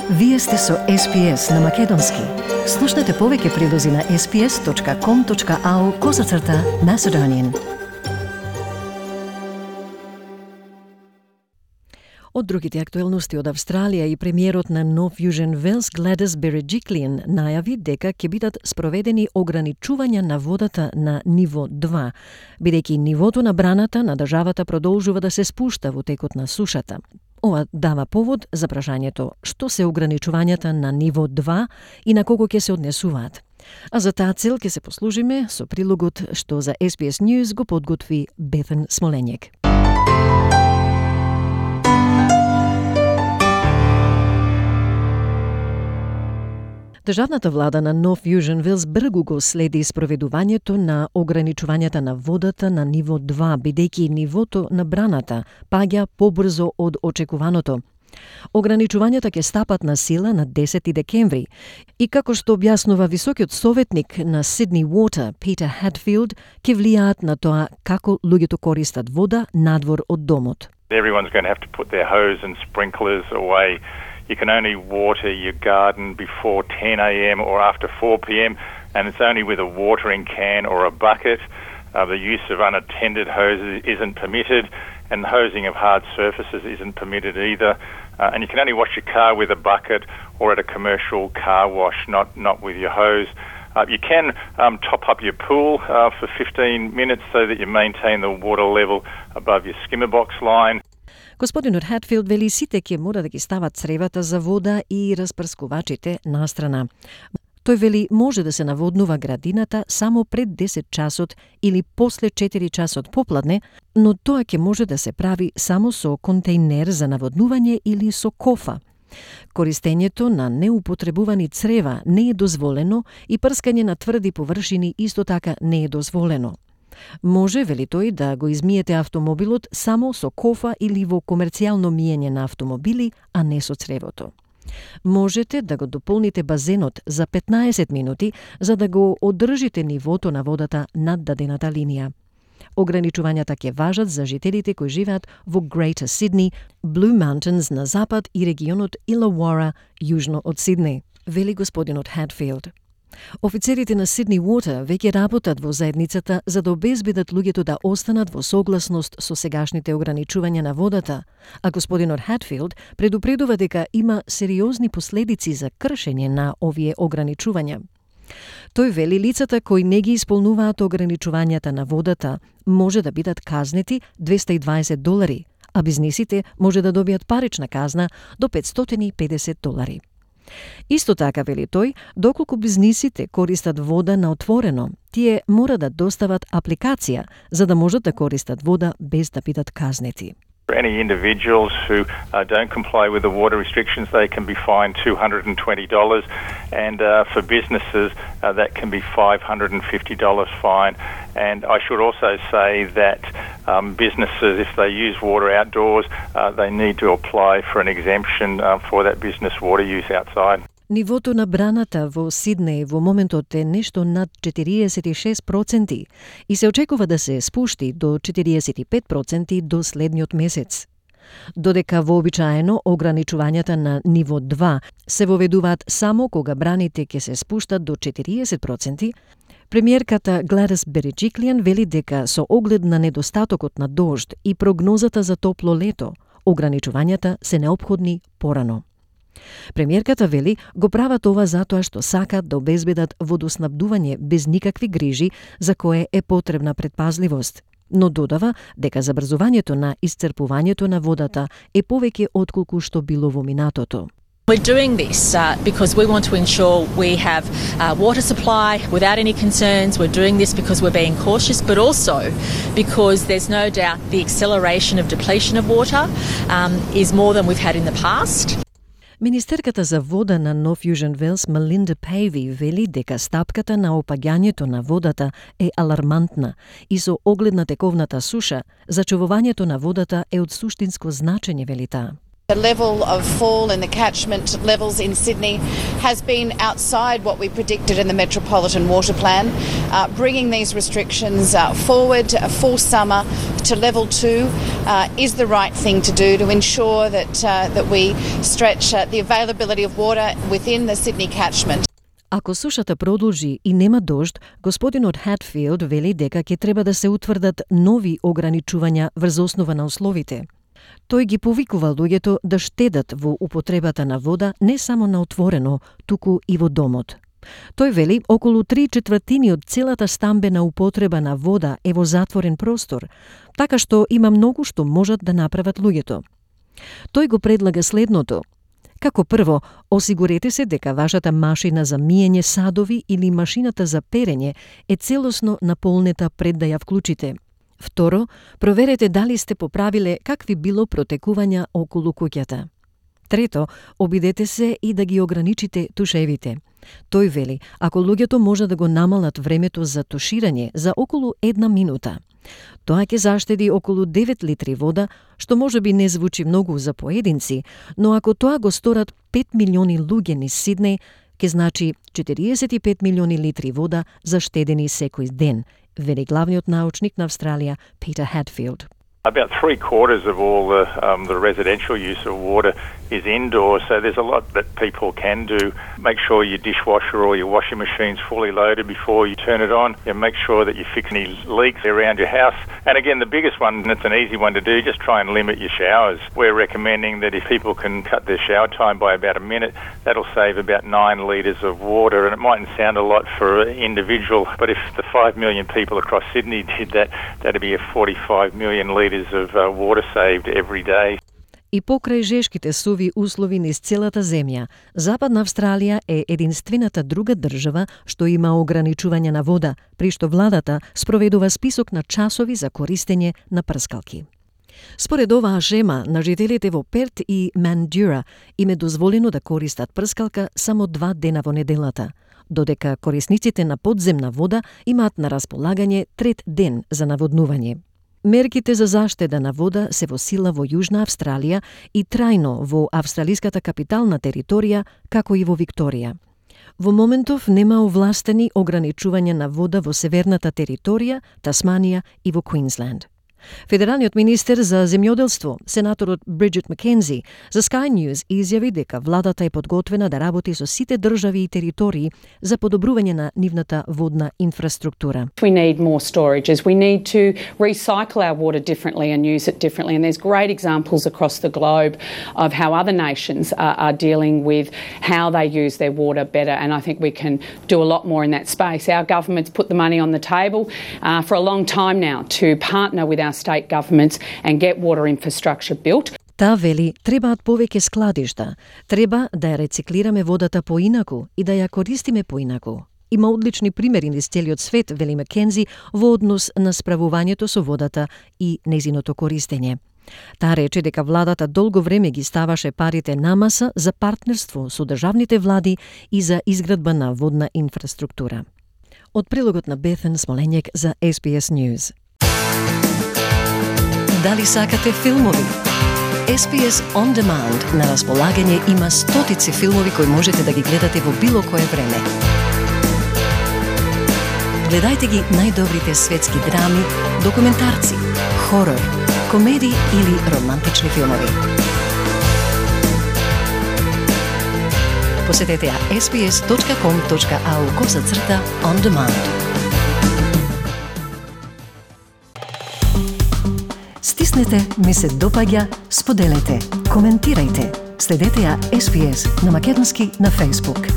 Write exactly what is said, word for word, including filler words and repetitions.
Вие сте со Ес Би Ес на Македонски. Слушнете повеќе прилози на ес би ес точка ком точка ау козацрта Macedonian. Од другите актуелности од Австралија и премиерот на Нов Јужен Велс Гледис Береджиклиен најави дека ќе бидат спроведени ограничувања на водата на ниво два, бидејќи нивото на браната на државата продолжува да се спушта во текот на сушата. Ова дава повод за прашањето што се ограничувањата на ниво два и на кого ќе се однесуваат. А за таа цел ќе се послужиме со прилогот што за Ес Би Ес News го подготви Бетен Смолењек. Државната влада на Нов Јужен Велс бргу го следи спроведувањето на ограничувањата на водата на ниво два, бидејќи нивото на браната паѓа побрзо од очекуваното. Ограничувањата ќе стапат на сила на десети декември и како што објаснува високиот советник на Сидни Water, Питер Хатфилд, ќе влијаат на тоа како луѓето користат вода надвор од домот. Everyone's going to have to put their hose and sprinklers away. You can only water your garden before ten a.m. or after four p.m. and it's only with a watering can or a bucket. Uh, the use of unattended hoses isn't permitted and the hosing of hard surfaces isn't permitted either. Uh, and you can only wash your car with a bucket or at a commercial car wash, not, not with your hose. Uh, you can um, top up your pool uh, for fifteen minutes so that you maintain the water level above your skimmer box line. Господинот Хатфилд вели сите ќе мора да ги стават цревата за вода и распрскувачите настрана. Тој вели може да се наводнува градината само пред десет часот или после четири часот попладне, но тоа ќе може да се прави само со контејнер за наводнување или со кофа. Користењето на неупотребувани црева не е дозволено и прскање на тврди површини исто така не е дозволено. Може, вели тој, да го измиете автомобилот само со кофа или во комерцијално миење на автомобили, а не со цревото. Можете да го дополните базенот за петнаесет минути за да го одржите нивото на водата над дадената линија. Ограничувањата ќе важат за жителите кои живеат во Greater Sydney, Blue Mountains на запад и регионот Illawarra јужно од Сиднеј, вели господинот Хатфилд. Офицерите на Сидни Water веќе работат во заедницата за да обезбедат луѓето да останат во согласност со сегашните ограничувања на водата, а господинот Хатфилд предупредува дека има сериозни последици за кршење на овие ограничувања. Тој вели лицата кои не ги исполнуваат ограничувањата на водата може да бидат казнети двеста и дваесет долари, а бизнисите може да добијат парична казна до петстотини и педесет долари. Исто така, вели тој, доколку бизнисите користат вода на отворено, тие мора да достават апликација за да можат да користат вода без да бидат казнети. For any individuals who uh, don't comply with the water restrictions, they can be fined two hundred twenty dollars, and uh, for businesses, uh, that can be five hundred fifty dollars fine. And I should also say that um, businesses, if they use water outdoors, uh, they need to apply for an exemption uh, for that business water use outside. Нивото на браната во Сиднеј во моментот е нешто над четириесет и шест проценти и се очекува да се спушти до четириесет и пет проценти до следниот месец. Додека вообичаено ограничувањата на ниво два се воведуваат само кога браните ќе се спуштат до четириесет проценти, премиерката Гледис Береджиклиен вели дека со оглед на недостатокот на дожд и прогнозата за топло лето, ограничувањата се неопходни порано. Премиерката вели го прават ова затоа што сакат да обезбедат водоснабдување без никакви грижи за кое е потребна предпазливост, но додава дека забрзувањето на исцрпувањето на водата е повеќе отколку што било во минатото. We're doing this uh, because we want to ensure we have uh, water supply without any concerns. We're doing this because we're being cautious, but also because there's no doubt the acceleration of depletion of water um, is more than we've had in the past. Министерката за вода на Нов Јужен Велс Мелинда Пејви вели дека стапката на опаѓањето на водата е алармантна и со оглед на тековната суша, зачувувањето на водата е од суштинско значење, вели таа. The level of fall in the catchment levels in Sydney has been outside what we predicted in the Metropolitan Water Plan. Uh, bringing these restrictions uh, forward for summer to level two uh, is the right thing to do to ensure that uh, that we stretch uh, the availability of water within the Sydney catchment. Ако сушата продолжи и нема дожд, господинот Хатфилд вели дека ќе треба да се утврдат нови ограничувања врз основа на условите. Тој ги повикува луѓето да штедат во употребата на вода не само на отворено, туку и во домот. Тој вели околу три четвртини од целата стамбена употреба на вода е во затворен простор, така што има многу што можат да направат луѓето. Тој го предлага следното. Како прво, осигурете се дека вашата машина за миење садови или машината за перење е целосно наполнета пред да ја вклучите. Второ, проверете дали сте поправиле какви било протекувања околу куќата. Трето, обидете се и да ги ограничите тушевите. Тој вели, ако луѓето може да го намалат времето за туширање за околу една минута, тоа ќе заштеди околу девет литри вода, што може би не звучи многу за поединци, но ако тоа го сторат пет милиони луѓе низ Сиднеј, ќе значи четириесет и пет милиони литри вода заштедени секој ден, вели главниот научник на Австралија Питер Хатфилд. About three quarters of all the, um, the residential use of water is indoors, so there's a lot that people can do. Make sure your dishwasher or your washing machine's fully loaded before you turn it on. And make sure that you fix any leaks around your house. And again, the biggest one, and it's an easy one to do, just try and limit your showers. We're recommending that if people can cut their shower time by about a minute, that'll save about nine litres of water. And it mightn't sound a lot for an individual, but if the five million people across Sydney did that, that'd be a forty-five million litres of uh, water saved every day. И покрај жешките суви услови низ целата земја, Западна Австралија е единствената друга држава што има ограничување на вода, при што владата спроведува список на часови за користење на прскалки. Според оваа шема, на жителите во Перт и Мандура им е дозволено да користат прскалка само два дена во неделата, додека корисниците на подземна вода имаат на располагање трет ден за наводнување. Мерките за заштеда на вода се во сила во Јужна Австралија и трајно во австралиската капитална територија, како и во Викторија. Во моментов нема овластени ограничување на вода во северната територија, Тасманија и во Квинсленд. Федералниот министер за земјоделство, сенаторот Бриджит Маккензи, за Sky News изјави дека владата е подготвена да работи со сите држави и територии за подобрување на нивната водна инфраструктура. We need more storages. We need to recycle our water differently and use it differently. And there's great examples across the globe of how other nations are, are dealing with how they use their water better. And I think we can do a lot more in that space. Our government's put the money on the table uh, for a long time now to partner with our state governments and get water infrastructure built. Таа вели, требаат повеќе складишта, треба да ја рециклираме водата поинаку и да ја користиме поинаку. Има одлични примери низ целиот свет, вели Маккензи, во однос на справувањето со водата и нејзиното користење. Таа рече дека владата долго време ги ставаше парите на маса за партнерство со државните влади и за изградба на водна инфраструктура. Од прилогот на Бетен Смоленјек за Ес Би Ес News. Дали сакате филмови? Ес Би Ес On Demand на располагање има стотици филмови кои можете да ги гледате во било кое време. Гледајте ги најдобрите светски драми, документарци, хорор, комедии или романтични филмови. Посетете ја ес би ес точка ком точка ау косацрта on demand. Стиснете, ми се допаѓа, споделете, коментирајте. Следете ја Ес Би Ес на македонски на Facebook.